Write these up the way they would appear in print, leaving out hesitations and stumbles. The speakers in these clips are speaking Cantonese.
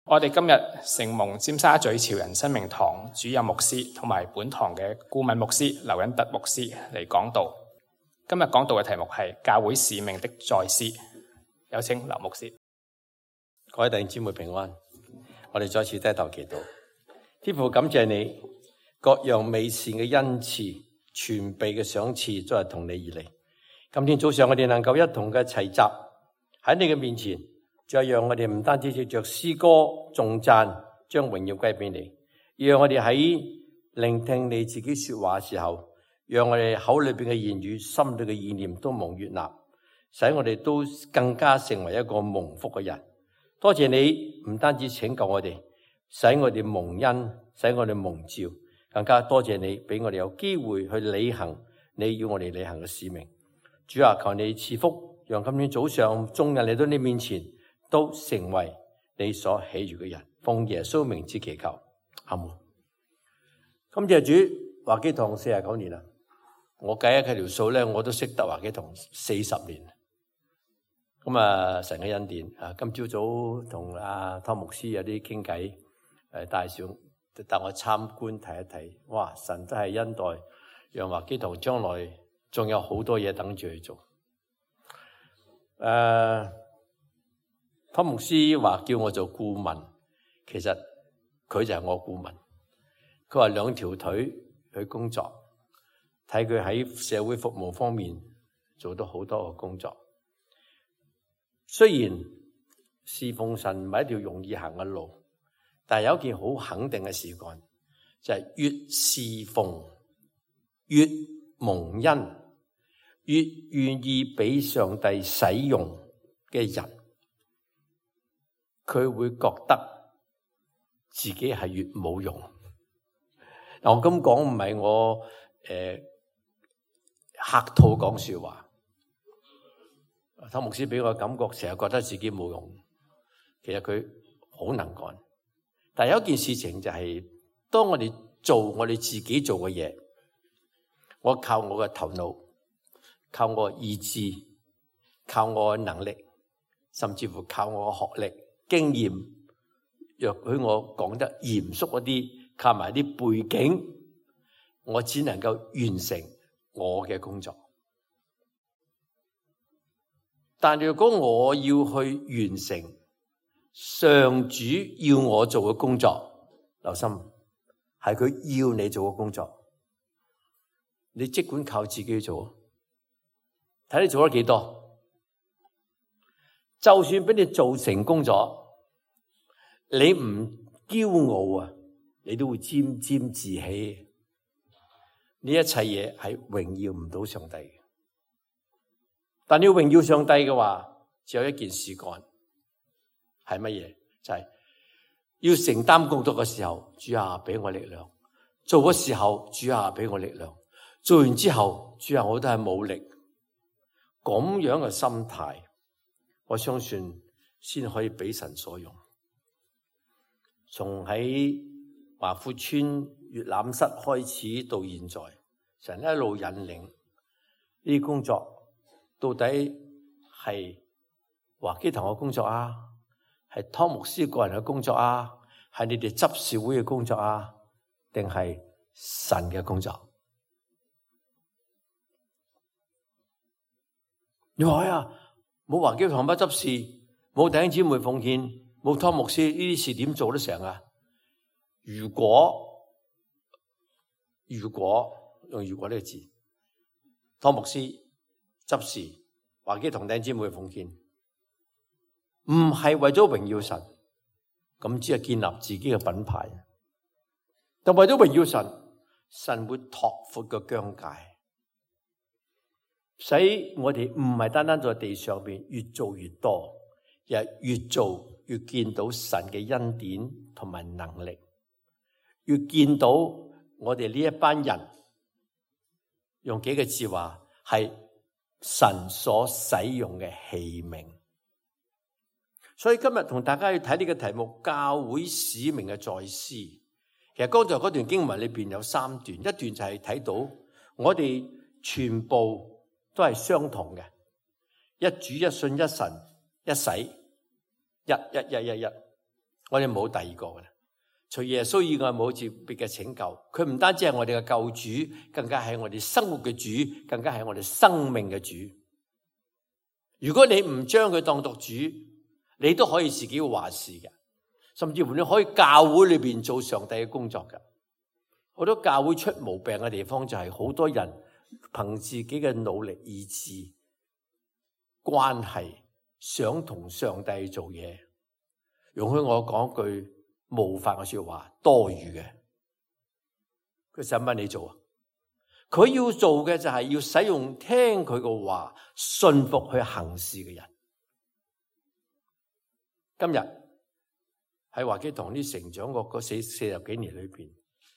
我哋今日承蒙尖沙咀潮人生命堂主任牧師同埋本堂嘅顧問牧師劉恩德牧師嚟講道。今日講道嘅題目係教會使命的再思。有請劉牧師。各位弟兄姊妹平安，我哋再次低頭祈禱。天父，感謝你各樣美善嘅恩賜、全備嘅賞賜都係同你而嚟。今天早上我哋能夠一同嘅齊集喺你嘅面前，再讓我哋唔單止藉着詩歌頌讚，將榮耀歸俾你，讓我哋喺聆聽你自己說話嘅時候，讓我哋口裏邊嘅言語、心裏嘅意念都蒙悅納，使我哋都更加成為一個蒙福嘅人。多謝你唔單止拯救我哋，使我哋蒙恩，使我哋蒙召，更加多謝你俾我哋有機會去履行你要我哋履行嘅使命。主啊，求你賜福，讓今天早上眾人嚟到你面前都成為你所喜悅嘅人。奉耶穌名之祈求，阿門。感謝主，華基堂49年啦，我計一計條數咧，我都識得華基堂40年。咁啊，神嘅恩典啊！今朝早同阿湯牧師有啲傾偈，帶我參觀睇一睇。哇！神真係恩待，讓華基堂將來仲有好多嘢等住去做。湯牧師話叫我做顧問，其實佢就係我顧問。佢話兩條腿去工作，睇佢喺社會服務方面做到好多嘅工作。雖然侍奉神唔係一條容易行嘅路，但係有一件好肯定嘅事幹，就係越侍奉越蒙恩，越願意俾上帝使用嘅人，佢會覺得自己係越冇用。嗱，我咁講唔係我客套講說話。湯牧師俾我感覺成日覺得自己冇用，其實佢好能幹。但係有一件事情就係，當我哋做我哋自己做嘅嘢，我靠我嘅頭腦，靠我嘅意志，靠我嘅能力，甚至乎靠我嘅學歷、經驗，若許我講得嚴肅一啲，靠埋啲背景，我只能夠完成我嘅工作。但如果我要去完成上主要我做嘅工作，留心，係佢要你做嘅工作，你即管靠自己做，睇你做得幾多。就算俾你做成功咗，你唔驕傲啊，你都會沾沾自喜。呢一切嘢係榮耀唔到上帝嘅。但你要榮耀上帝嘅話，只有一件事幹，係乜嘢？就係要承擔工作嘅時候，主啊俾我力量；做嘅時候，主啊俾我力量；做完之後，主啊我都係冇力。咁樣嘅心態，我相信先可以俾神所用。從喺華富村閱覽室開始到現在，神一路引領呢啲工作。到底係華基堂嘅工作啊，係湯牧師個人嘅工作啊，係你哋執事會嘅工作啊，定係神嘅工作？你話啊，冇華基堂不執事，冇弟兄姊妹奉獻，冇湯牧師，呢啲事點做得成啊？如果用如果呢個字，湯牧師執事華基堂弟兄姊妹奉獻，唔係為咗榮耀神，咁只係建立自己嘅品牌。但為咗榮耀神，神會拓闊個疆界，使我哋唔係單單在地上邊越做越多，而係越做越見到神嘅恩典同埋能力，越見到我哋呢一班人，用幾個字話係神所使用嘅器皿。所以今日同大家去睇呢個題目，教會使命嘅再思。其實剛才嗰段經文裏邊有3段，一段就係睇到我哋全部都係相同嘅，一主一信一神一洗，一。我哋冇第二個嘅啦。除耶穌以外冇接別嘅拯救。佢唔單止係我哋嘅救主，更加係我哋生活嘅主，更加係我哋生命嘅主。如果你唔將佢當作主，你都可以自己話事嘅，甚至乎你可以教會裏邊做上帝嘅工作嘅。好多教會出毛病嘅地方就係好多人憑自己嘅努力意志關係想同上帝做嘢。容許我講句冒犯嘅說話，多餘嘅。佢使乜你做啊？佢要做嘅就係要使用聽佢嘅話，信服去行事嘅人。今日喺華基堂啲成長嗰四十幾年裏邊，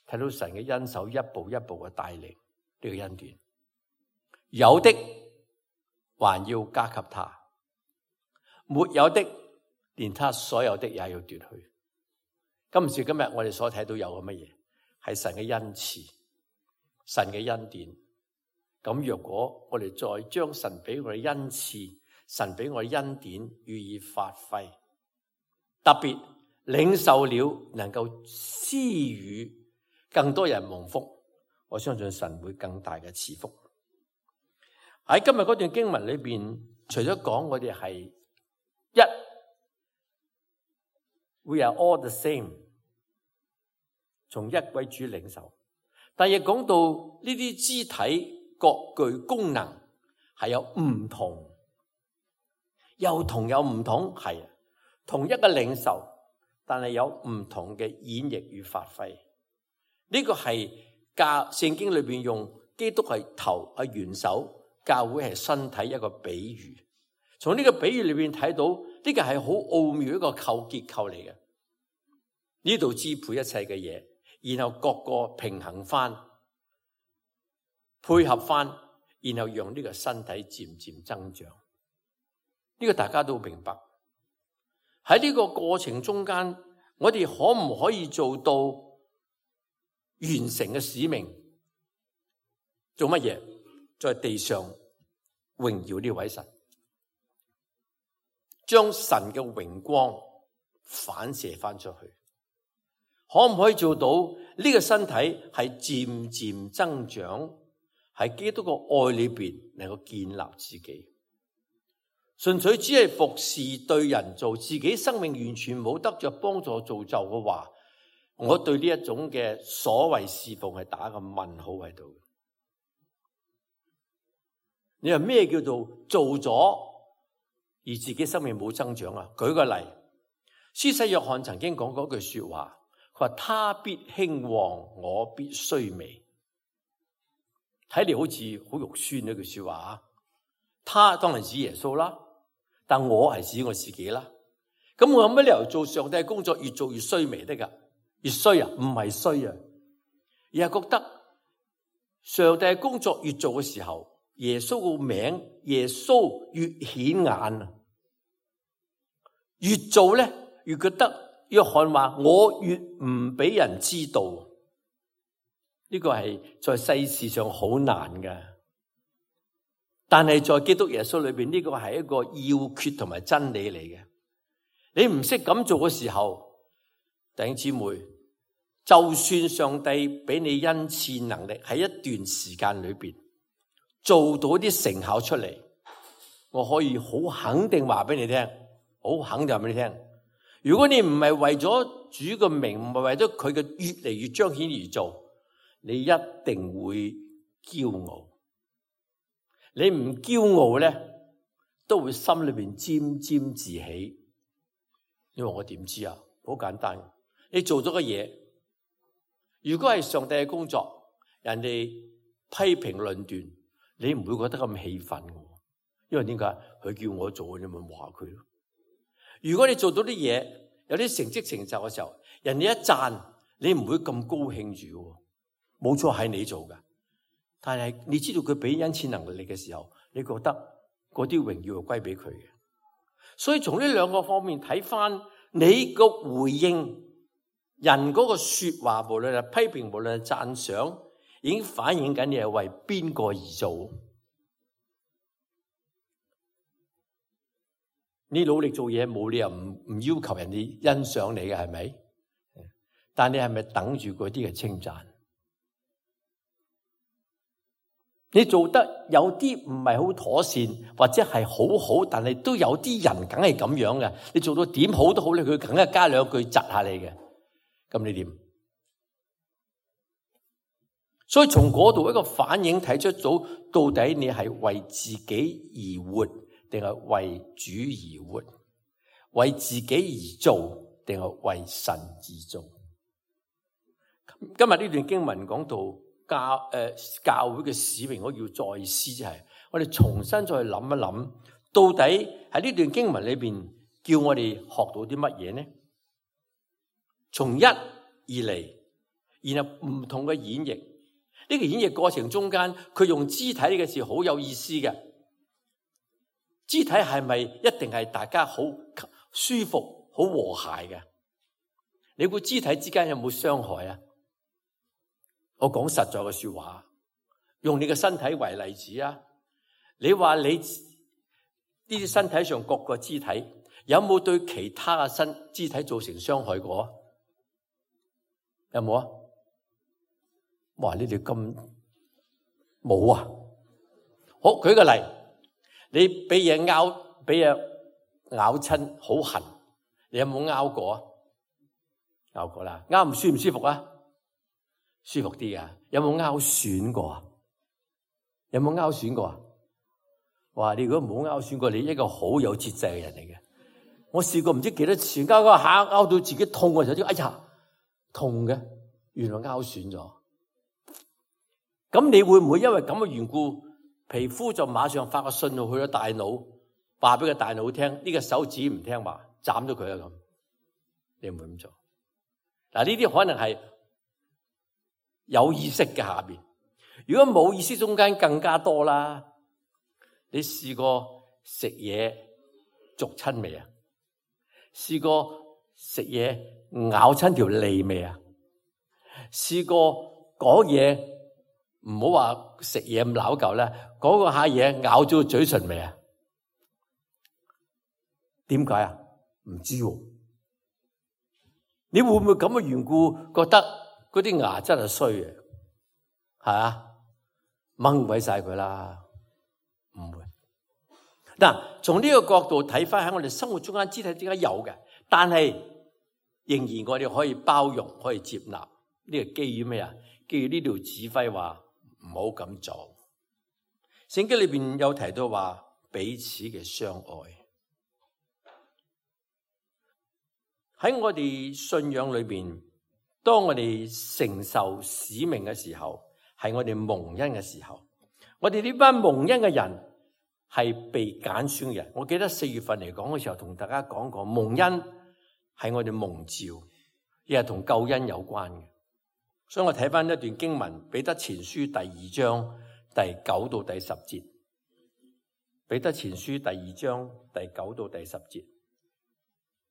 睇到神嘅恩手一步一步嘅帶領呢個恩典，有的還要加給他，沒有的連他所有的也要奪去。今時今日我哋所睇到有嘅乜嘢？係神嘅恩賜，神嘅恩典。咁若果我哋再將神俾我哋恩賜，神俾我哋恩典予以發揮，特別領受了能夠施予更多人蒙福，我相信神會更大嘅賜福。喺今日嗰段經文裏邊，除咗講我哋係一 We are all the same， 從一位主領受，但亦講到呢啲肢體各具功能係有唔同，又同有唔同，係同一個領受，但係有唔同嘅演繹與發揮。呢個係聖經裏邊用基督係頭係元首，教會係身體一個比喻。從呢個比喻裏邊睇到呢個係好奧妙一個結構嚟嘅。呢度支配一切嘅嘢，然後各個平衡翻，配合翻，然後讓呢個身體漸漸增長。呢個大家都明白。喺呢個過程中間，我哋可唔可以做到完成嘅使命？做乜嘢？在地上榮耀呢位神，將神嘅榮光反射翻出去。可唔可以做到呢個身體係漸漸增長，喺基督嘅愛裏邊能夠建立自己？純粹只係服侍對人做，自己生命完全冇得着幫助造就嘅話，我對呢一種嘅所謂侍奉係打個問號喺度。你話咩叫做做咗而自己生命冇增長啊？舉個例，施洗約翰曾經講過一句說話，佢話他必興旺，我必衰微。睇嚟好似好肉酸呢句說話啊！他當然指耶穌啦，但我係指我自己啦。咁我有乜理由做上帝嘅工作越做越衰微得噶？越衰啊？唔係衰啊，而係覺得上帝嘅工作越做嘅時候，耶穌個名耶穌越顯眼啊！越做咧，越覺得約翰話我越唔俾人知道。呢個係在世事上好難噶，但係在基督耶穌裏邊，呢個係一個要訣同埋真理嚟嘅。你唔識咁做嘅時候，弟兄姊妹，就算上帝俾你恩賜能力，喺一段時間裏邊做到啲成效出嚟，我可以好肯定話俾你聽，好肯定話俾你聽。如果你唔係為咗主嘅名，唔係為咗佢嘅越嚟越彰顯而做，你一定會驕傲。你唔驕傲咧，都會心裏邊沾沾自喜。你話我點知啊？好簡單，你做咗個嘢，如果係上帝嘅工作，人哋批評論斷，你唔會覺得咁氣憤嘅，因為點解？佢叫我做，你咪話佢咯。如果你做到啲嘢，有啲成績成就嘅時候，人哋一讚，你唔會咁高興住。冇錯，係你做噶，但係你知道佢俾恩賜能力嘅時候，你覺得嗰啲榮耀係歸俾佢嘅。所以從呢兩個方面睇翻，你個回應人嗰個說話，無論係批評，無論係讚賞，已經反映緊你係為邊個而做。你努力做嘢冇理由唔要求人哋欣賞你嘅，係咪？但你係咪等住嗰啲嘅稱讚？你做得有啲唔係好妥善，或者係好好，但係都有啲人梗係咁樣嘅。你做到點好都好咧，佢梗係加兩句窒下你嘅。咁你點？所以從嗰度一個反應睇出到底你係為自己而活，定係為主而活？為自己而做，定係為神而做？今日呢段經文講到教會嘅使命，我要再思，就係我哋重新再去諗一諗，到底喺呢段經文裏邊叫我哋學到啲乜嘢呢？從一而嚟，然後唔同嘅演繹。呢個演繹過程中間，佢用肢體呢個字好有意思嘅。肢體係咪一定係大家好舒服、好和諧嘅？你估肢體之間有冇傷害啊？我講實在嘅說話，用你嘅身體為例子啊！你話你呢啲身體上各個肢體有冇對其他嘅肢體造成傷害過？有冇啊？哇！你哋咁冇啊？好，舉個例，你俾嘢咬親，好痕，你有冇咬過啊？咬過啦，咬唔舒服啊？舒服啲啊？有冇拗損過啊？有冇拗損過啊？哇！你如果冇拗損過，你一個好有節制嘅人嚟嘅。我試過唔知幾多次，拗下拗到自己痛嘅時候，哎呀痛嘅，原來拗損咗。咁你會唔會因為咁嘅緣故，皮膚就馬上發個信號去咗大腦，話俾個大腦聽呢個手指唔聽話，斬咗佢啊咁？你唔會咁做。嗱，呢啲可能係有意識嘅下邊，如果冇意識中間更加多啦。你試過食嘢逐親未啊？試過食嘢咬親條脷未啊？試過講嘢唔好話食嘢咁拗舊啦，講個下嘢咬咗個嘴唇未啊？點解啊？唔知喎。你會唔會咁嘅緣故覺得嗰啲牙真係衰嘅？係啊，掹鬼晒佢啦，唔會。嗱，從呢個角度睇翻喺我哋生活中間肢體之間有嘅，但係仍然我哋可以包容，可以接納。呢個基於咩啊？基於呢條指揮話唔好咁做。聖經裏邊有提到話彼此嘅相愛。喺我哋信仰裏邊，當我哋承受使命嘅時候，係我哋蒙恩嘅時候。我哋呢班蒙恩嘅人係被揀選嘅人。我記得4月份嚟講嘅時候，同大家講過，蒙恩係我哋蒙召，亦係同救恩有關嘅。所以我睇翻一段經文，彼得前書第2章第9到第10節。彼得前書第2章第9到第10節。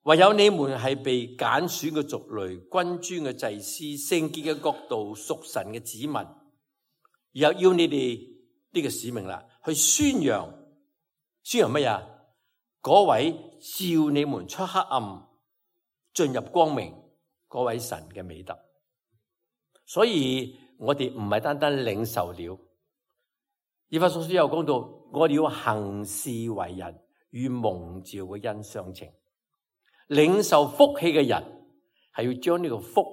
唯有你們係被揀選嘅族類，君尊嘅祭司，聖潔嘅國度，屬神嘅子民，然後要你哋呢個使命啦，去宣揚乜嘢？嗰位召你們出黑暗進入光明嗰位神嘅美德。所以我哋唔係單單領受了，以弗所書有講到，我哋要行事為人與蒙召嘅恩相稱。領受福氣嘅人係要將呢個福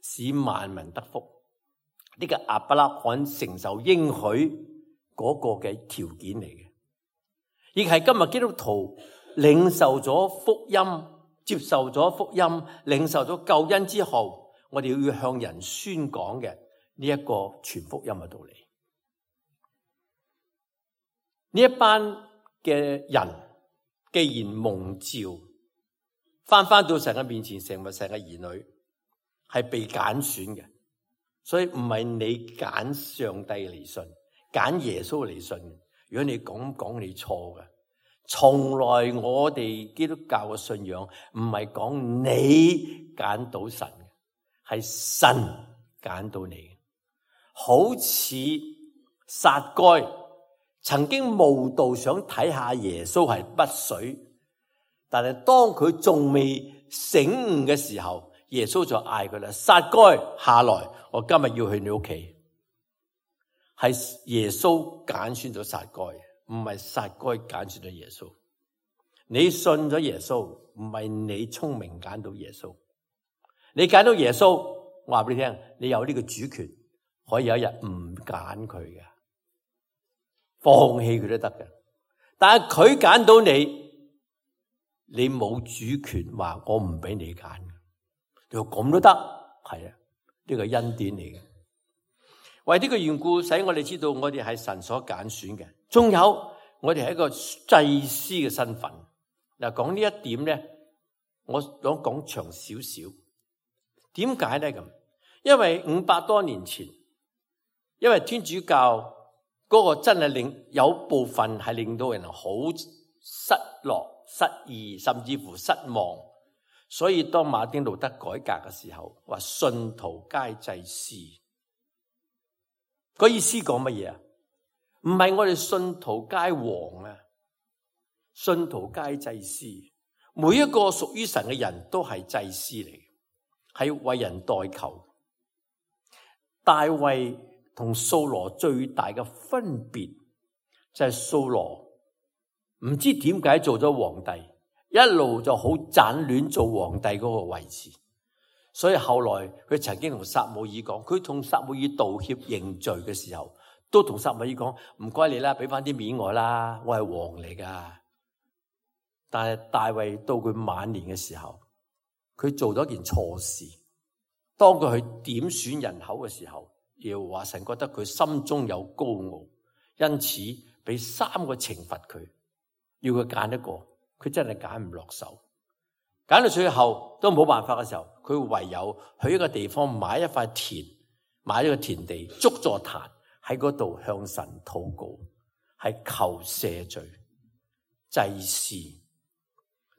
使萬民得福，呢個亞伯拉罕承受應許嗰個嘅條件嚟嘅，亦係今日基督徒領受咗福音、接受咗福音、領受咗救恩之後，我哋要向人宣講嘅呢一個傳福音嘅道理。呢一班嘅人既然蒙召，翻到神嘅面前，成為神嘅兒女，係被揀選嘅，所以唔係你揀上帝嚟信，揀耶穌嚟信。如果你講你錯嘅，從來我哋基督教嘅信仰唔係講你揀到神嘅，係神揀到你。好似撒該曾經慕道想睇下耶穌係乜水。但係當佢仲未醒悟嘅時候，耶穌就嗌佢啦：撒該下來，我今日要去你屋企。係耶穌揀選咗撒該，唔係撒該揀選咗耶穌。你信咗耶穌，唔係你聰明揀到耶穌。你揀到耶穌，我話俾你聽，你有呢個主權，可以有一日唔揀佢嘅，放棄佢都得嘅。但係佢揀到你，你冇主權話我唔俾你揀。你話咁都得，係啊，呢個恩典嚟嘅。為呢個緣故，使我哋知道我哋係神所揀選嘅。仲有我哋係一個祭司嘅身份。嗱，講呢一點咧，我想講長少少。點解咧咁？因為500多年前，因為天主教嗰個真係令有部分係令到人好失落、失意，甚至乎失望。所以當馬丁路德改革嘅時候，話信徒皆祭司。個意思講乜嘢啊？唔係我哋信徒皆王啊，信徒皆祭司。每一個屬於神嘅人都係祭司嚟，係為人代求。大衛同掃羅最大嘅分別就係掃羅唔知點解做咗皇帝，一路就好盞亂做皇帝嗰個位置。所以後來佢曾經同撒母耳講，佢同撒母耳道歉認罪嘅時候，都同撒母耳講：唔該你啦，俾翻啲面我啦，我係王嚟噶。但係大衛到佢晚年嘅時候，佢做咗件錯事。當佢去點選人口嘅時候，耶和華神覺得佢心中有高傲，因此俾3個懲罰佢，要佢揀一個，佢真係揀唔落手。揀到最後都冇辦法嘅時候，佢唯有去一個地方買一塊田，買一個田地，築座壇喺嗰度向神禱告，係求赦罪。祭司。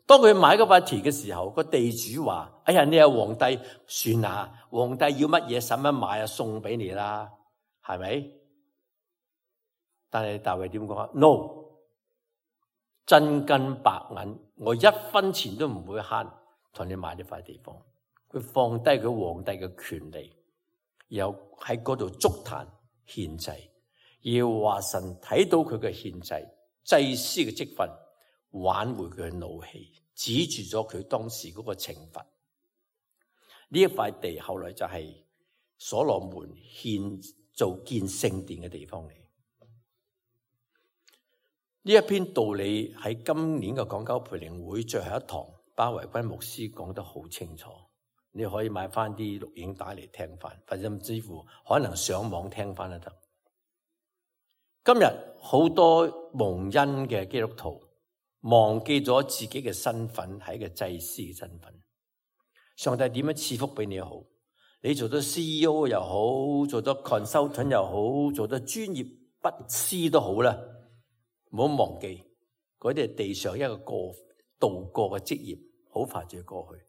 當佢買嗰塊田嘅時候，個地主話：哎呀，你係皇帝，算啦，皇帝要乜嘢使乜買啊，送俾你啦，係咪？但係大衛點講啊 ？No。真金白銀，我1分錢都唔會慳，同你買呢塊地方。佢放低佢皇帝嘅權利，然後喺嗰度築壇獻祭。要話神睇到佢嘅獻祭，祭司嘅職分，挽回佢嘅怒氣，止住咗佢當時嗰個懲罰。呢一塊地後來就係所羅門獻做建聖殿嘅地方嚟。呢一篇道理喺今年嘅港九培靈會最後一堂，巴維君牧師講得好清楚。你可以買翻啲錄影帶嚟聽翻，或者甚至乎可能上網聽翻都得。今日好多蒙恩嘅基督徒忘記咗自己嘅身份係一個祭司嘅身份。上帝點樣賜福俾你好？你做咗 CEO 又好，做咗 consultant 又好，做咗專業筆師都好啦。唔好忘記，嗰啲係地上一個度過嘅職業，好快就要過去。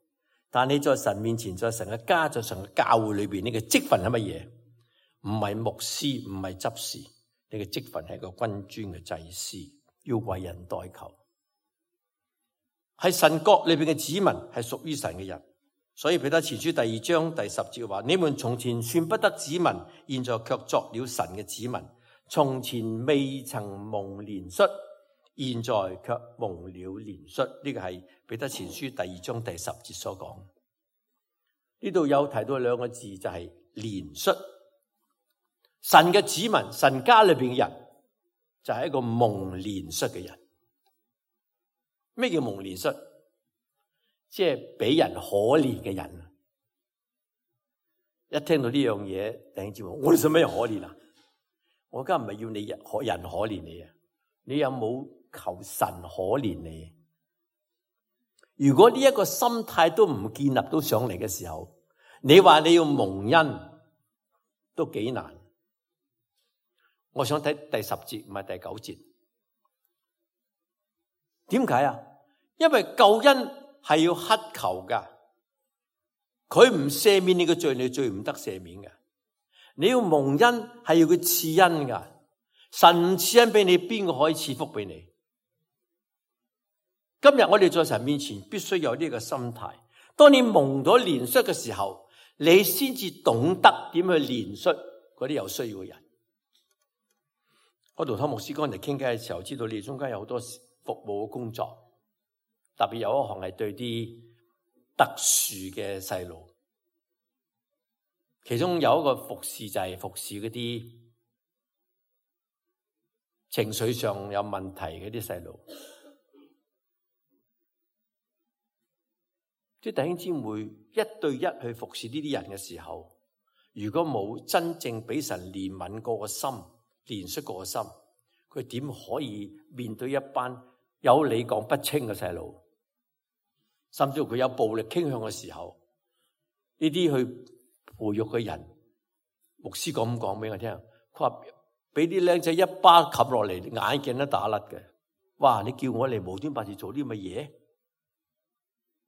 但你在神面前，在神嘅家，在神嘅教會裏邊，你嘅職分係乜嘢？唔係牧師，唔係執事，你嘅職分係個君尊嘅祭司，要為人代求。係神國裏邊嘅子民，係屬於神嘅人。所以彼得前書第2章第10節話：你們從前算不得子民，現在卻作了神嘅子民。從前未曾蒙憐恤，現在卻蒙了憐恤。呢個係彼得前書第2章第10節所講。呢度有提到2個字，就係憐恤。神嘅子民，神家裏邊嘅人，就係一個蒙憐恤嘅人。咩叫蒙憐恤？即係俾人可憐嘅人。一聽到呢樣嘢，弟兄姊妹，我哋使乜人可憐啊？我而家唔係要你人可憐你啊！你有冇求神可憐你？如果呢一個心態都唔建立到上嚟嘅時候，你話你要蒙恩都幾難。我想睇第10節，唔係第9節。點解啊？因為救恩係要乞求噶，佢唔赦免你嘅罪，你罪唔得赦免嘅。你要蒙恩係要佢賜恩噶，神賜恩俾你，邊個可以賜福俾你？今日我哋在神面前必須有呢個心態。當你蒙咗憐恤嘅時候，你先至懂得點去憐恤嗰啲有需要嘅人。我同湯牧師剛才傾偈嘅時候，知道你哋中間有好多服務嘅工作，特別有一項係對啲特殊嘅細路，其中有一個服侍就係服侍嗰啲情緒上有問題嗰啲細路。啲弟兄姊妹一對一去服侍呢啲人嘅時候，如果冇真正俾神憐憫過個心、憐恤過個心，佢點可以面對一班有理講不清嘅細路？甚至乎佢有暴力傾向嘅時候，呢啲去培育嘅人，牧師咁講俾我聽，佢話俾啲僆仔一巴冚落嚟，眼鏡都打甩嘅。哇！你叫我嚟無端白事做啲乜嘢？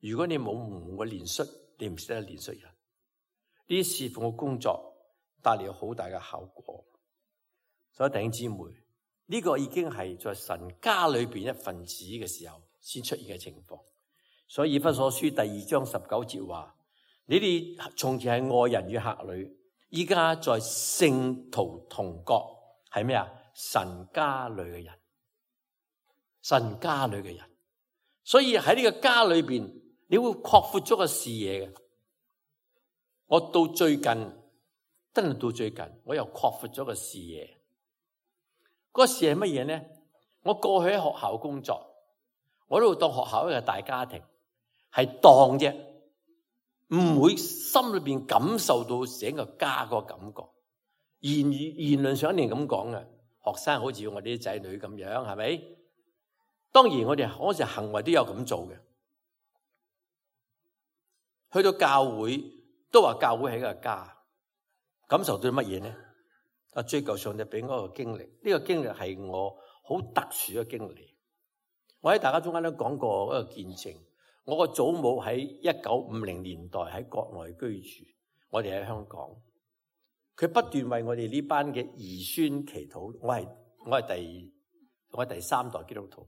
如果你冇蒙過憐恤，你唔識得憐恤人。呢啲侍奉嘅工作帶嚟好大嘅效果。所以弟兄姊妹，呢個已經係在神家裏邊一份子嘅時候先出現嘅情況。所以以弗所書第2章19節話：你哋從前係外人與客旅，依家在聖徒同國，係咩啊？神家裏嘅人，神家裏嘅人。所以喺呢個家裏邊，你會擴闊咗個視野嘅。我到最近，真係到最近，我又擴闊咗個視野。嗰個視野係乜嘢呢？我過去喺學校工作，我都當學校一個大家庭，係當啫，唔會心裏邊感受到整個家個感覺。言論上一定咁講嘅，學生好似我哋啲仔女咁樣，係咪？當然我哋嗰時行為都有咁做嘅。去到教會都話教會係一個家，感受到乜嘢呢？追求上帝俾我個經歷，呢個經歷係我好特殊嘅經歷。我喺大家中間都講過一個見證，我個祖母喺1950年代喺國內居住，我哋喺香港，佢不斷為我哋呢班嘅兒孫祈禱。我係第3代基督徒。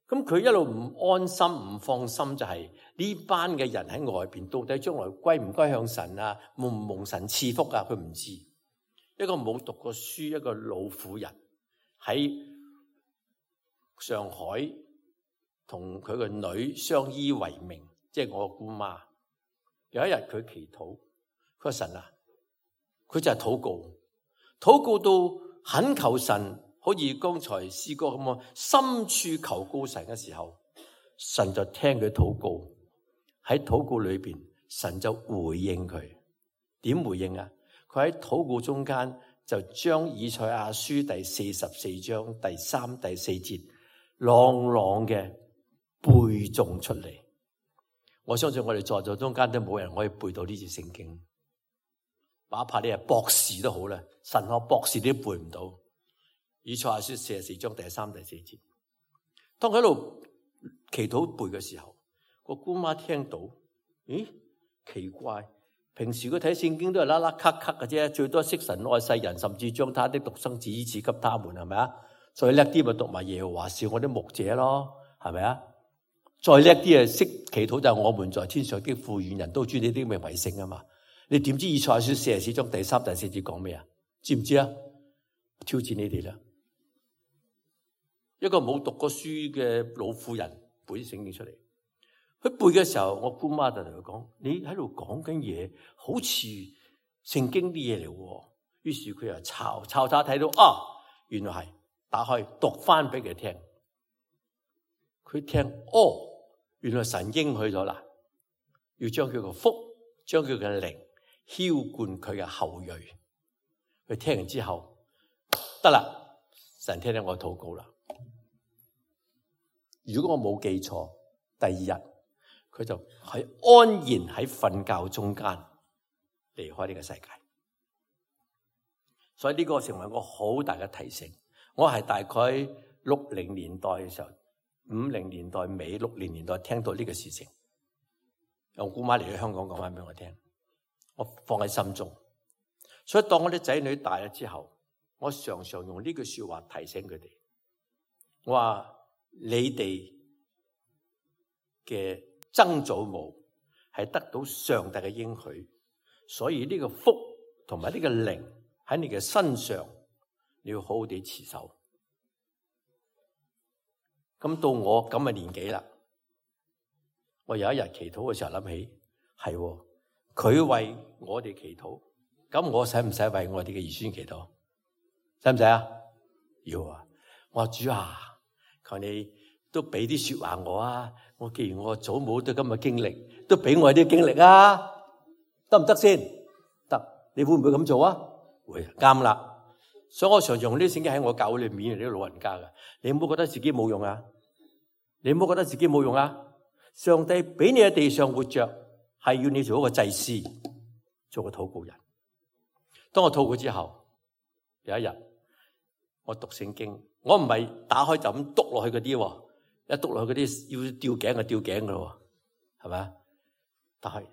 咁佢一路唔安心、唔放心，就係呢班嘅人喺外邊，到底將來歸唔歸向神啊？蒙唔蒙神賜福啊？佢唔知。一個冇讀過書、一個老婦人喺上海，同佢個女相依為命，即係我姑媽。有一日佢祈禱，佢話神啊，佢就係禱告到懇求神。好似剛才詩歌咁啊，深處求告神嘅時候，神就聽佢禱告。喺禱告裏邊，神就回應佢。點回應啊？佢喺禱告中間就將以賽亞書第44章第3、第4節朗朗嘅背誦出嚟。我相信我哋在座中間都冇人可以背到呢節聖經，哪怕你係博士都好啦，神學博士你都背唔到。以賽亞書44章第3、第4節，當佢喺度祈禱背嘅時候，個姑媽聽到，咦，奇怪，平時佢睇聖經都係啦啦咳咳嘅啫，最多識神愛世人，甚至將他的獨生子賜給他們，係咪啊？再叻啲咪讀埋耶和華是我的牧者咯，係咪啊？再叻啲啊，識祈禱就係我們在天上的父，願人都尊你的名為聖啊嘛。你點知以賽亞書44章第3、第4節講咩啊？知唔知啊？挑戰你哋啦！一個冇讀過書嘅老婦人背啲聖經出嚟，佢背嘅時候，我姑媽就同佢講：你喺度講緊嘢，好似聖經啲嘢嚟喎。於是佢又抄睇到啊，原來係打開讀翻俾佢聽。佢聽哦，原來神應許咗啦，要將佢個福，將佢嘅靈澆灌佢嘅後裔。佢聽完之後，得啦，神聽聽我禱告啦。如果我冇記錯，第二日佢就喺安然喺瞓覺中間離開呢個世界。所以呢個成為我好大嘅提醒。我係大概60年代嘅時候，50年代尾60年代聽到呢個事情，我姑媽嚟到香港講翻俾我聽，我放喺心中。所以當我啲仔女大咗之後，我常常用呢句說話提醒佢哋，我話你哋嘅曾祖母係得到上帝嘅應許，所以呢個福同埋呢個靈喺你嘅身上，你要好好地持守。咁到我咁嘅年紀啦，我有一日祈禱嘅時候諗起，係佢為我哋祈禱，咁我使唔使為我哋嘅兒孫祈禱？使唔使啊？要啊！我話主啊，求你都俾啲說話我啊！我既然我祖母都咁嘅經歷，都俾我啲經歷啊，得唔得先？得，你會唔會咁做啊？會，啱啦。所以我常用呢啲聖經喺我教會裏面，啲老人家噶，你唔好覺得自己冇用啊！你唔好覺得自己冇用啊！上帝俾你喺地上活着，係要你做一個祭司，做個禱告人。當我禱告之後，有一日我讀聖經，我唔係打開就咁篤落去嗰啲，一篤落去嗰啲要吊頸就吊頸噶咯，係咪？但係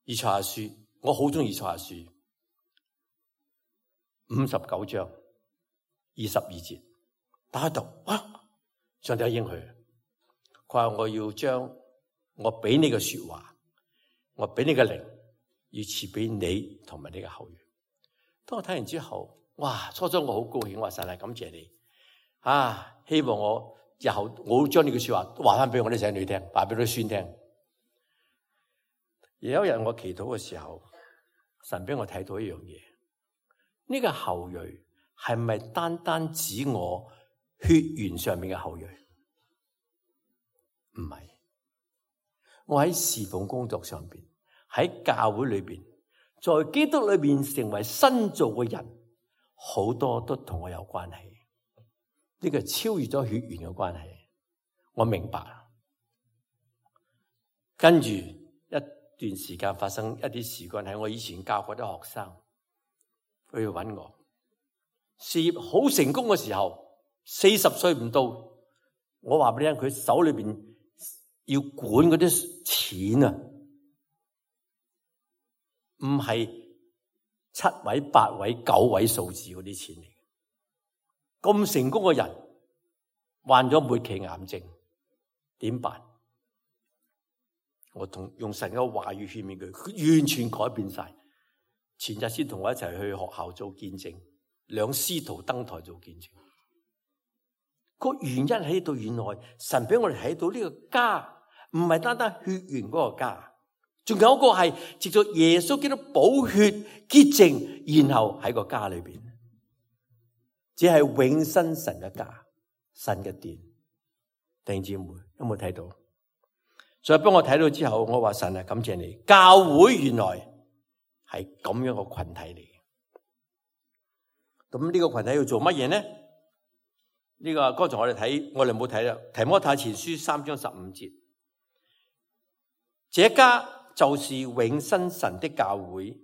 以賽亞書，我好中意以賽亞書59章22節，打開讀，上帝有應許，佢話我要將我俾你嘅說話，我俾你嘅靈，要賜俾你同埋你嘅後裔。當我睇完之後，哇！初初我好高興，我話神啊，感謝你啊！希望我日後我會將你嘅說話話翻俾我啲仔女聽，話俾啲孫聽。而有一日我祈禱嘅時候，神俾我睇到一樣嘢，呢個後裔係咪單單指我血緣上面嘅後裔？唔係，我喺侍奉工作上邊，喺教會裏邊，在基督裏邊成為新造嘅人，好多都同我有關係。呢個超越咗血緣嘅關係，我明白。跟住一段時間發生一啲事件，喺我以前教過啲學生，佢去揾我，事業好成功嘅時候，40歲唔到，我話俾你聽，佢手裏邊要管嗰啲錢啊，唔係7位、8位、9位數字嗰啲錢嚟。咁成功嘅人患咗末期癌症，點辦？我用神嘅話語勸勉佢，完全改變晒。前日先同我一齊去學校做見證，兩師徒登台做見證。個原因喺度，原來神俾我哋睇到呢個家唔係單單血緣嗰個家，仲有一個係藉着耶穌基督寶血潔淨，然後喺個家裏邊，只係永生神嘅家，神嘅殿。弟兄姊妹有冇睇到？所以幫我睇到之後，我話神啊，感謝你，教會原來係咁樣個群體嚟嘅。咁呢個群體要做乜嘢呢？呢個剛才我哋冇睇啦，提摩太前書3章15節，這家就是永生神的教會，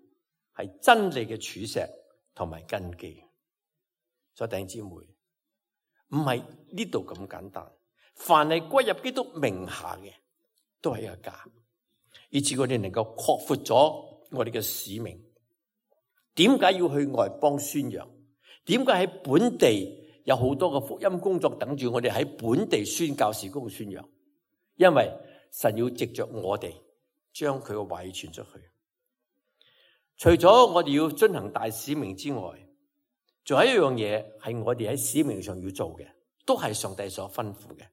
係真理嘅柱石同埋根基。所以弟兄姊妹，唔係呢度咁簡單，凡係歸入基督名下嘅，都係一個家，以致我哋能夠擴闊咗我哋嘅使命。點解要去外邦宣揚？點解喺本地有好多嘅福音工作等住我哋喺本地宣教事工宣揚？因為神要藉着我哋將佢嘅話語傳出去。除咗我哋要遵行大使命之外，仲有一樣嘢係我哋喺使命上要做嘅，都係上帝所吩咐嘅。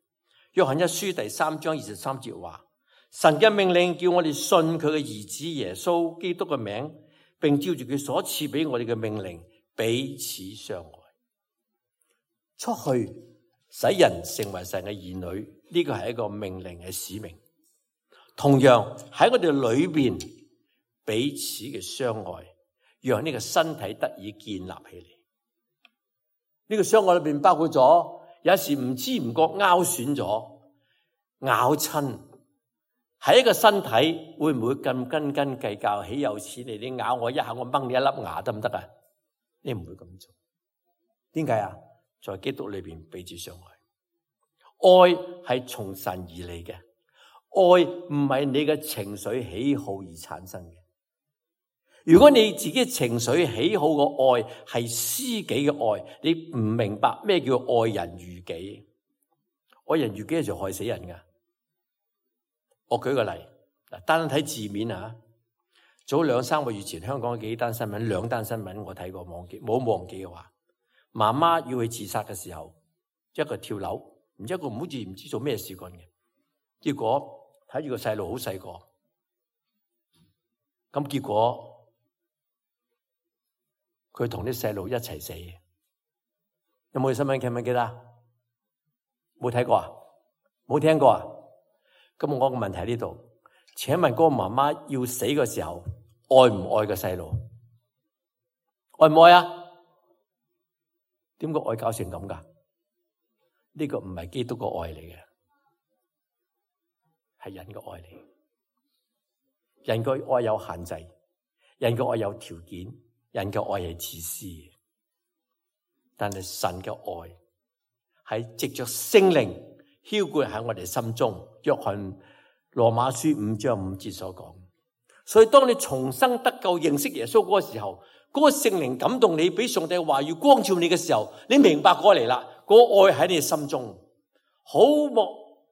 約翰一書第3章23節話，神嘅命令叫我哋信佢嘅兒子耶穌基督嘅名，並照住佢所賜俾我哋嘅命令彼此相愛。出去使人成為神嘅兒女，呢個係一個命令嘅使命。同樣喺我哋裏邊彼此嘅相愛，讓呢個身體得以建立起嚟。呢個相愛裏邊包括咗有時唔知唔覺拗損咗、咬親，喺一個身體會唔會咁斤斤計較？豈有此理！你咬我一下，我掹你一粒牙得唔得啊？你唔會咁做。點解啊？在基督裏邊彼此相愛，愛係從神而嚟嘅，愛唔係你嘅情緒喜好而產生嘅。如果你自己情緒喜好嘅愛係私己嘅愛，你唔明白咩叫愛人如己。愛人如己就害死人噶。我舉個例，單睇字面啊，早2-3個月前香港幾單新聞，2單新聞我睇過，冇忘記嘅話，媽媽要去自殺嘅時候，一個跳樓，一個唔知做咩事幹嘅，結果睇住個細路好細個，咁結果佢同啲細路一齊死嘅，有冇新聞？記唔記得？冇睇過啊？冇聽過啊？咁我個問題喺呢度，請問嗰個媽媽要死嘅時候，愛唔愛個細路？愛唔愛啊？點解愛搞成咁噶？呢個唔係基督個愛嚟嘅，係人嘅愛嚟。人嘅愛有限制，人嘅愛有條件，人嘅愛係自私嘅。但係神嘅愛係藉着聖靈澆灌喺我哋心中。約翰羅馬書5章5節所講。所以當你重生得救認識耶穌嗰個時候，嗰個聖靈感動你，俾上帝嘅話語光照你嘅時候，你明白過嚟啦。嗰個愛喺你心中，好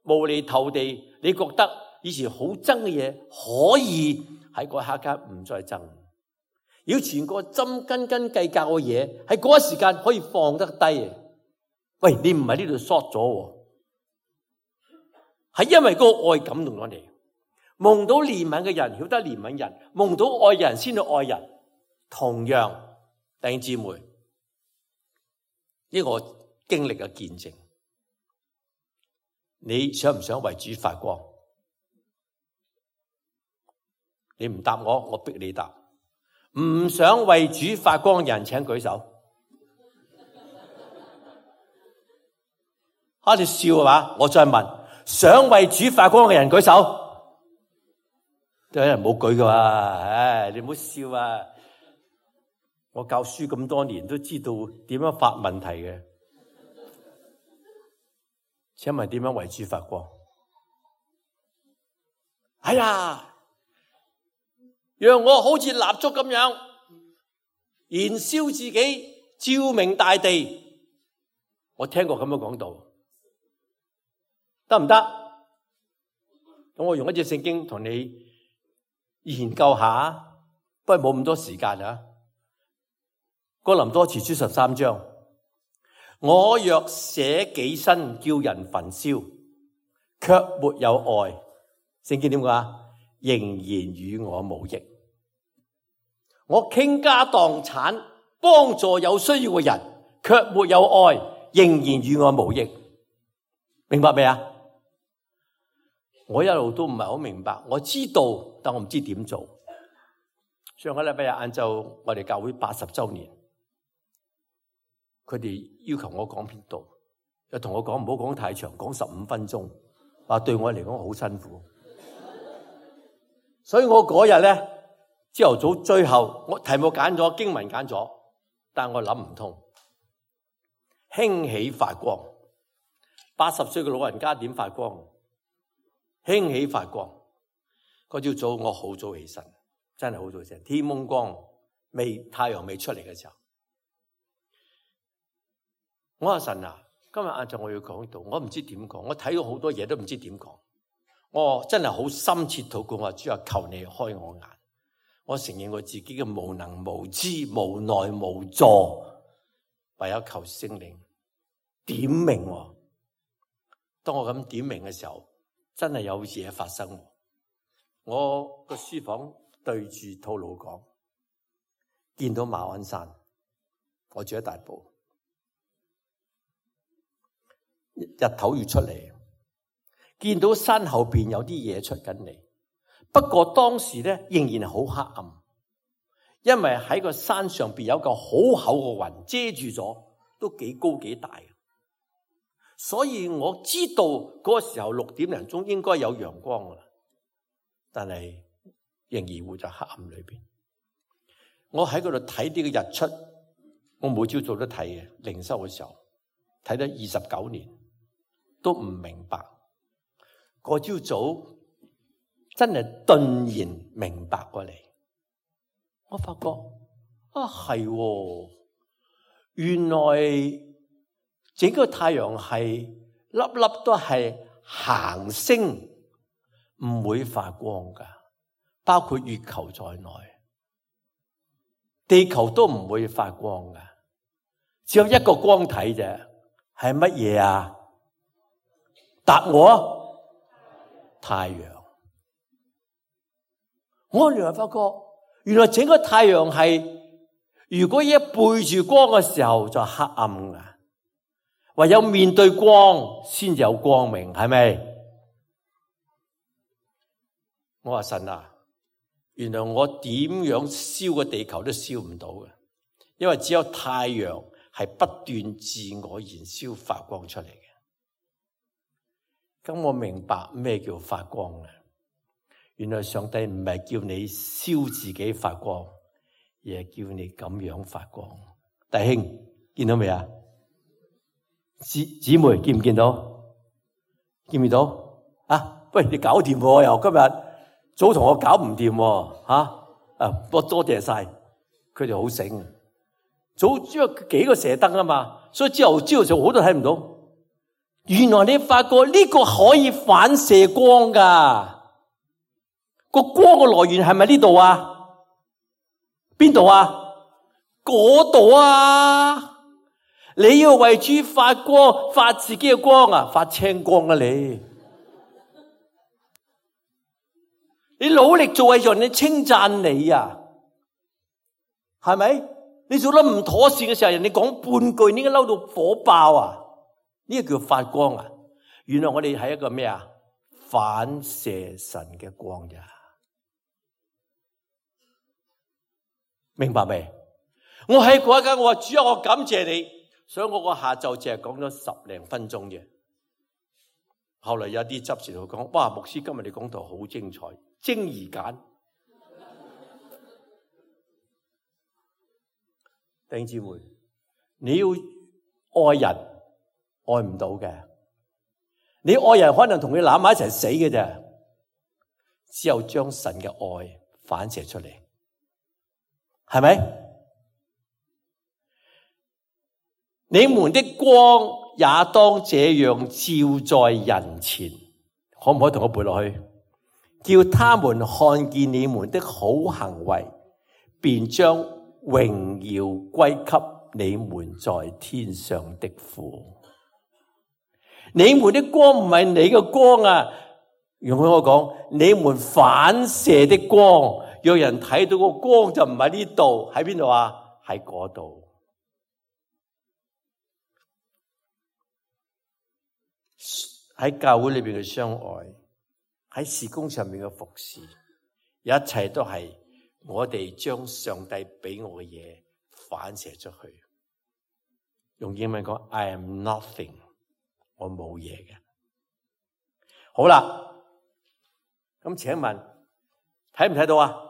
無厘頭地，你覺得以前好憎嘅嘢，可以喺嗰一刻唔再憎。以前個針斤斤計較嘅嘢，喺嗰一時間可以放得低。喂，你唔係呢度 short 咗，係因為嗰個愛感動咗你。蒙到憐憫嘅人曉得憐憫人，蒙到愛人先去愛人。同樣，弟兄姊妹，呢個經歷嘅見證，你想唔想為主發光？你唔答我，我逼你答。唔想為主發光嘅人請舉手。你笑係嘛？我再問，想為主發光嘅人舉手。都有人冇舉㗎嘛？你唔好笑啊！我教書咁多年，都知道點樣發問題嘅。請問點樣為主發光？哎呀，讓我好似蠟燭咁樣燃燒自己，照明大地。我聽過咁樣講道，得唔得？咁我用一隻聖經同你研究下，不過冇咁多時間啊。哥林多前書13章，我若捨己身叫人焚燒，卻沒有愛，聖經點講啊？仍然與我無益。我傾家蕩產幫助有需要嘅人，卻沒有愛，仍然與我無益。明白未啊？我一路都唔係好明白，我知道，但我唔知點做。上個禮拜日晏晝，我哋教會80周年，佢哋要求我講篇道，又同我講唔好講太長，講15分鐘，話對我嚟講好辛苦。所以我嗰日咧，朝頭早最後我題目揀咗，經文揀咗，但我諗唔通。興起發光，80歲嘅老人家點發光？興起發光。嗰朝早我好早起身，真係好早起身，天蒙光，太陽未出嚟嘅時候，我話神啊，今日晏晝我要講道，我唔知點講，我睇到好多嘢都唔知點講。我真係好深切禱告，我話主啊，求你開我眼。我承認我自己嘅無能無知、無奈無助，唯有求聖靈點明。當我咁點明嘅時候，真係有嘢發生。我個書房對住吐露港，見到馬鞍山，我住喺大埔，日頭要出嚟，見到山後邊有啲嘢出緊嚟。不過當時咧仍然好黑暗，因為喺個山上邊有個好厚嘅雲遮住咗，都幾高幾大。所以我知道嗰個時候6點零鐘應該有陽光啦，但係仍然會在黑暗裏邊。我喺嗰度睇呢個日出，我每朝早都睇嘅，靈修嘅時候睇咗29年，都唔明白。嗰朝早真係頓然明白過嚟，我發覺係，原來整個太陽系粒粒都係行星，唔會發光噶，包括月球在內，地球都唔會發光噶，只有一個光體啫，係乜嘢啊？答我，太陽。我原來發覺，原來整個太陽係，如果一背住光嘅時候就黑暗噶，唯有面對光先有光明，係咪？我話神啊，原來我點樣燒個地球都燒唔到嘅，因為只有太陽係不斷自我燃燒發光出嚟嘅。咁我明白咩叫發光啊？原來上帝唔係叫你燒自己發光，而係叫你咁樣發光。弟兄見到未啊？姊妹見唔見到？見唔見到？啊，喂，你搞掂喎，又今日早同我搞唔掂喎，我多謝晒，佢哋好醒。早因為幾個射燈啊嘛，所以朝頭早好多睇唔到。原來你發覺呢個可以反射光噶。個光嘅來源係咪呢度啊？邊度啊？嗰度啊！你要為主發光，發自己嘅光啊，發青光啊你！你努力做為人，你稱讚你啊，係咪？你做得唔妥善嘅時候，人哋講半句，你應該嬲到火爆啊！呢個叫發光啊！原來我哋係一個咩啊？反射神嘅光咋？明白未？我喺嗰一間，我話主啊，我感謝你，所以我個下晝淨係講咗10零分鐘啫。後來有啲執事同我講：哇，牧師今日你講道好精彩，精而簡。弟兄姊妹，你要愛人，愛唔到嘅。你愛人可能同佢攬埋一齊死嘅啫，只有將神嘅愛反射出嚟。係咪？你們的光也當這樣照在人前，可唔可以同我背落去？叫他們看見你們的好行為，便將榮耀歸給你們在天上的父。你們的光唔係你嘅光啊，容許我講，你們反射的光。有人睇到個光就唔喺呢度，喺邊度啊？喺嗰度。喺教會裏邊嘅相愛，喺事工上面嘅服侍，一切都係我哋將上帝俾我嘅嘢反射出去。用英文講 ，I am nothing， 我冇嘢嘅。好啦，咁請問睇唔睇到啊？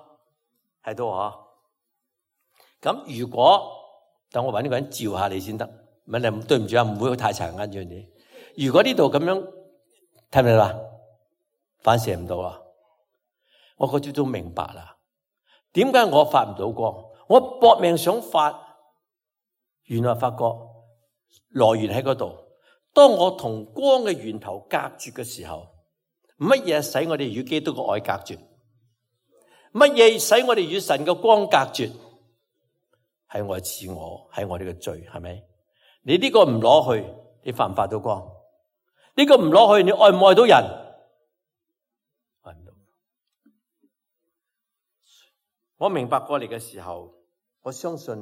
睇到啊！咁如果等我搵呢個人照下你先得，問你對唔住啊，唔會太殘眼住你。如果呢度咁樣睇唔睇到啊？反射唔到啊！我嗰朝都明白啦。點解我發唔到光？我搏命想發，原來發覺來源喺嗰度。當我同光嘅源頭隔絕嘅時候，乜嘢使我哋與基督嘅愛隔絕？乜嘢使我哋與神嘅光隔絕？係我嘅自我，係我哋嘅罪，係咪？你呢個唔攞去，你發唔發到光？呢個唔攞去，你愛唔愛到人？愛唔到。我明白過嚟嘅時候，我相信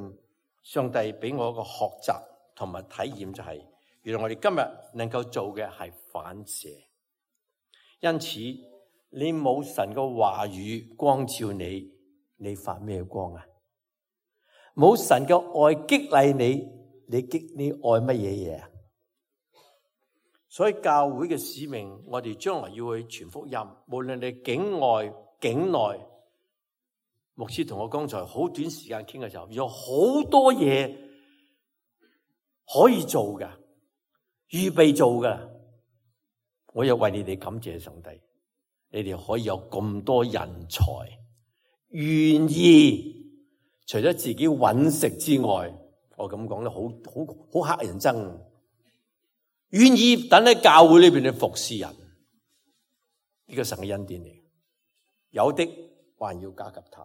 上帝俾我一個學習同埋體驗，就係原來我哋今日能夠做嘅係反射。因此你冇神嘅話語光照你，你發咩光啊？冇神嘅愛激勵你，你愛乜嘢嘢啊？所以教會嘅使命，我哋將來要去傳福音，無論你境外境內。牧師同我剛才好短時間傾嘅時候，有好多嘢可以做㗎，預備做㗎。我又為你哋感謝上帝，你哋可以有咁多人才，願意除咗自己揾食之外，我咁講得好乞人憎，願意等喺教會裏邊去服侍人。呢個神嘅恩典嚟，有的還要加給他。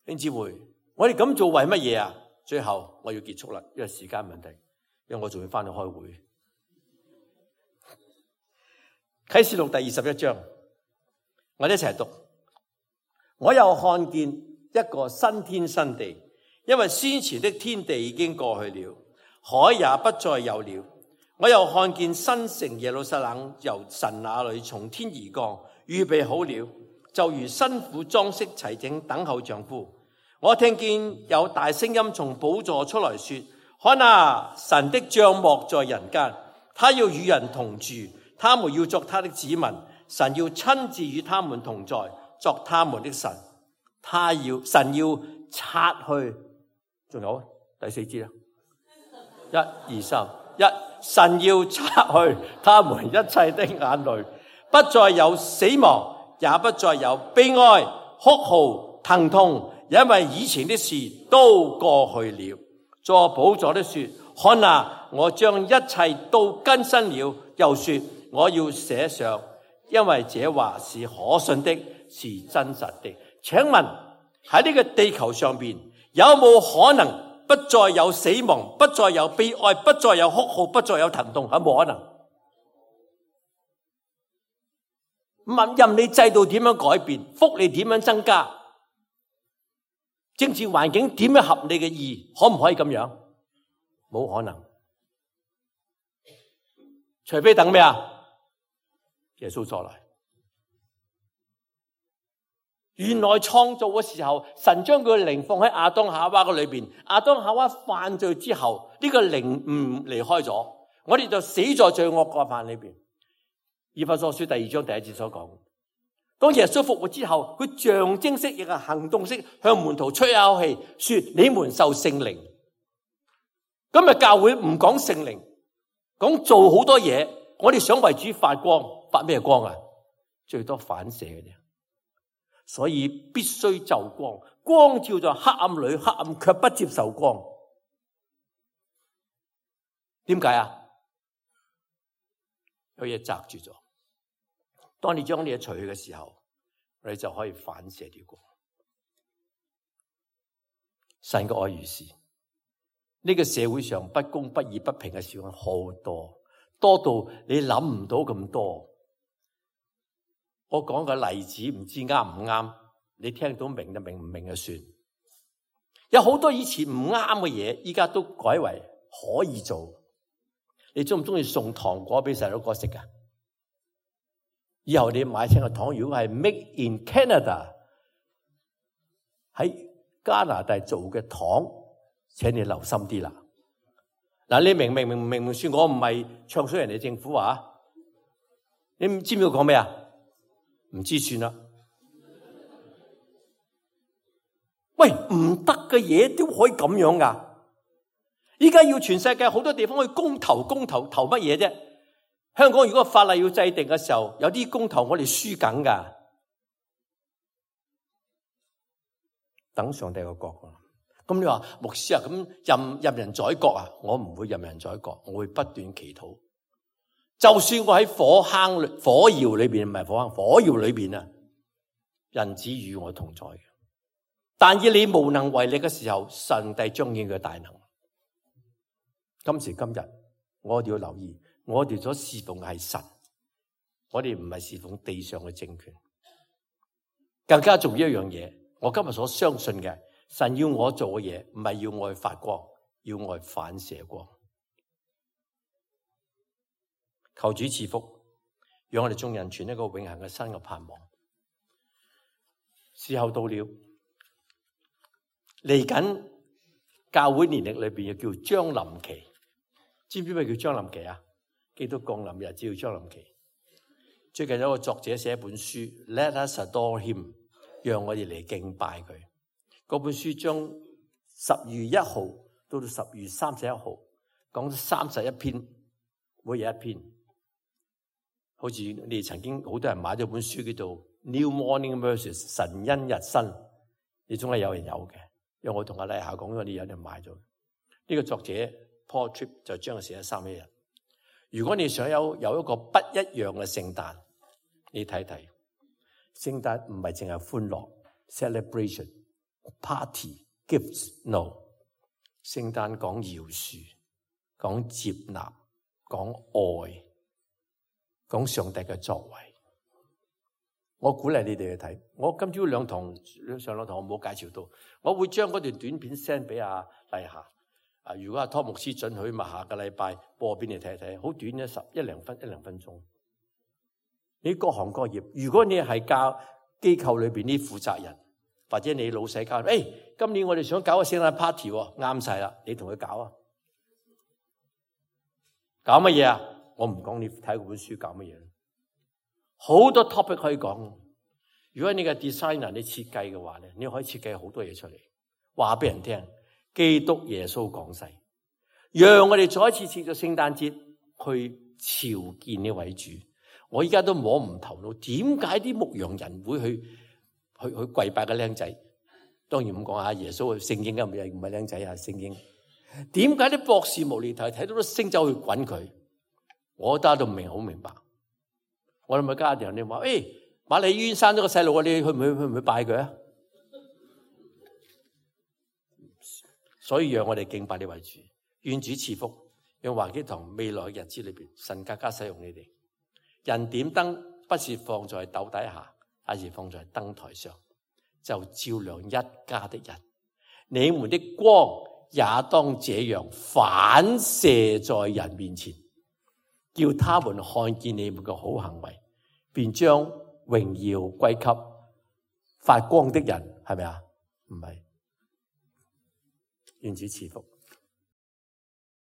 弟兄姊妹，我哋咁做為乜嘢啊？最後我要結束啦，因為時間問題，因為我仲要翻去開會。啟示錄第21章，我哋一齊讀。我又看見一個新天新地，因為先前的天地已經過去了，海也不再有了。我又看見新城耶路撒冷由神那裏從天而降，預備好了，就如新婦裝飾齊整等候丈夫。我聽見有大聲音從寶座出來說：看啊，神的帳幕在人間，他要與人同住，他們要作他的子民，神要親自與他們同在，作他們的神。神要擦去，仲有第4節啦，1、2、3，神要擦去他們一切的眼淚，不再有死亡，也不再有悲哀、哭號、疼痛，因為以前的事都過去了。坐寶座的說：看啊，我將一切都更新了。又說：我要寫上，因為這話是可信的，是真實的。請問喺呢個地球上邊，有冇可能不再有死亡，不再有悲哀，不再有哭號，不再有疼痛？有冇可能？任你制度點樣改變，福利點樣增加，政治環境點樣合你嘅意，可唔可以咁樣？冇可能，除非等咩啊？耶穌再來。原來創造嘅時候，神將佢嘅靈放喺亞當夏娃嘅裏邊。亞當夏娃犯罪之後，呢個靈唔離開咗，我哋就死在罪惡過犯裏邊。以弗所書第2章第1節所講，當耶穌復活之後，佢象徵式亦係行動式向門徒吹一口氣，說你們受聖靈。今日教會唔講聖靈，講做好多嘢。我哋想為主發光，發咩光啊？最多反射嘅啫。所以必須就光，光照在黑暗裏，黑暗卻不接受光。點解啊？有嘢擋住咗。當你將呢嘢除去嘅時候，你就可以反射啲光。神嘅愛如是。呢個社會上不公不義不平嘅事好多，多到你諗唔到咁多。我講個例子，唔知啱唔啱？你聽到明就明，唔明就算。有好多以前唔啱嘅嘢，依家都改為可以做。你中唔中意送糖果俾細佬哥食噶？以後你買清個糖，如果係 Made in Canada 喺加拿大做嘅糖，請你留心啲啦。嗱，你明算我唔係唱衰人哋政府啊？你知唔知我講咩啊？唔知算啦。喂，唔得嘅嘢都可以咁樣噶。依家要全世界好多地方去公投投乜嘢啫？香港如果法例要制定嘅時候，有啲公投我哋輸緊噶。等上帝個國。咁你話牧師啊，咁任人宰割啊？我唔會任人宰割，我會不斷祈禱。就算我喺火窯裏邊，唔係火窯裏邊啊，人子與我同在嘅。但以你無能為力嘅時候，上帝彰顯佢大能。今時今日，我哋要留意，我哋所侍奉嘅係神，我哋唔係侍奉地上嘅政權。更加重要一樣嘢，我今日所相信嘅，神要我做嘅嘢，唔係要我去發光，要我去反射光。求主賜福，讓我哋眾人存一個永恆嘅新嘅盼望。時候到了，嚟緊教會年曆裏邊又叫將臨期，知唔知咩叫將臨期啊？基督降臨日子叫將臨期。最近有一個作者寫一本書 ，Let us adore him， 讓我哋嚟敬拜佢。嗰本書將10月1號到10月31號講31篇，每日一篇。好似你哋曾經好多人買咗本書叫做 New Morning Mercies 神恩日新，你總係有人有嘅。因為我同阿麗霞講咗，你有人買咗。呢個作者 Paul Tripp 就將佢寫咗3一日。如果你想有一個不一樣嘅聖誕，你睇睇，聖誕唔係淨係歡樂 celebration、party、gifts，no。聖誕講饒恕，講接納，講愛，講上帝嘅作為。我鼓勵你哋去睇。我今朝上兩堂我冇介紹到，我會將嗰段短片 send 俾阿麗霞。如果阿湯牧師准許，咪下個禮拜播俾你睇睇，好短嘅一兩分鐘。你各行各業，如果你係教機構裏邊啲負責人，或者你老細教，今年我哋想搞個聖誕 party， 啱晒啦，你同佢搞啊？搞乜嘢啊？我唔講，你睇嗰本書搞乜嘢？好多 topic 可以講。如果你嘅 designer 你設計嘅話咧，你可以設計好多嘢出嚟，話俾人聽。基督耶穌降世，讓我哋再一次設咗聖誕節去朝見呢位主。我依家都摸唔頭腦，點解啲牧羊人會去跪拜嘅僆仔？當然唔講下耶穌聖經嘅唔係僆仔啊，聖經。點解啲博士無厘頭睇到啲星走去滾佢？我覺得都唔明，好明白。我諗咪家人你話，瑪麗醫院生咗個細路，你去唔去拜佢啊？所以讓我哋敬拜呢位主，願主賜福，讓華基堂未來嘅日子裏邊，神更加使用你哋。人點燈不是放在斗底下，而是放在燈台上，就照亮一家的人。你們的光也當這樣反射在人面前，叫他們看見你們嘅好行為，便將榮耀歸給發光的人，係咪啊？唔係。願主賜福。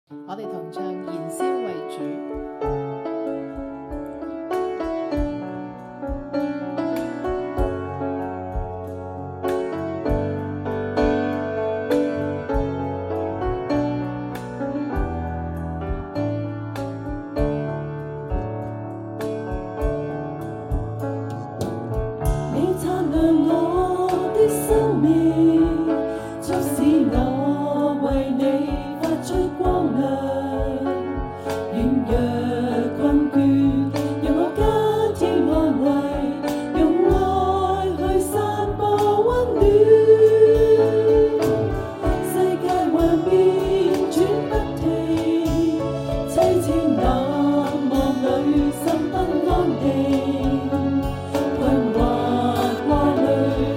我哋同唱燃燒為主。困惑掛慮。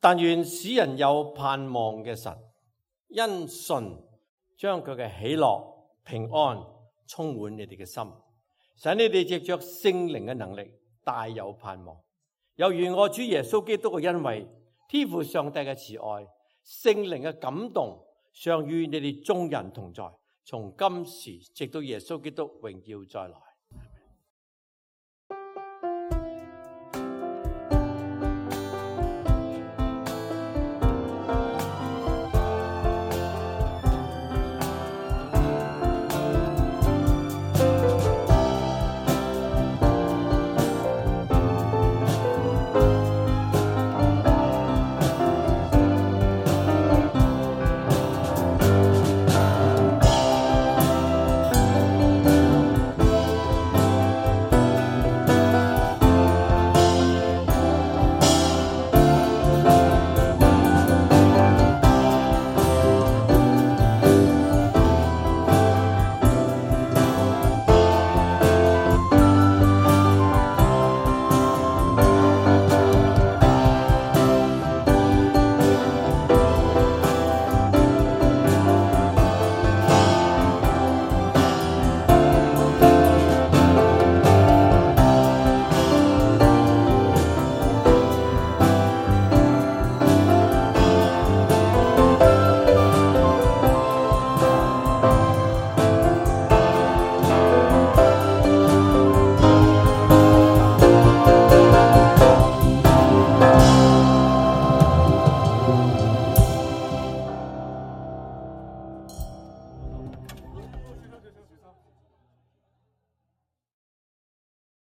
但願使人有盼望嘅神，因信將佢嘅喜樂、平安充滿你哋嘅心，使你哋藉着聖靈嘅能力大有盼望。又願我主耶穌基督嘅恩惠、天父上帝嘅慈愛、聖靈嘅感動，常與你哋眾人同在，從今時直到耶穌基督榮耀再來。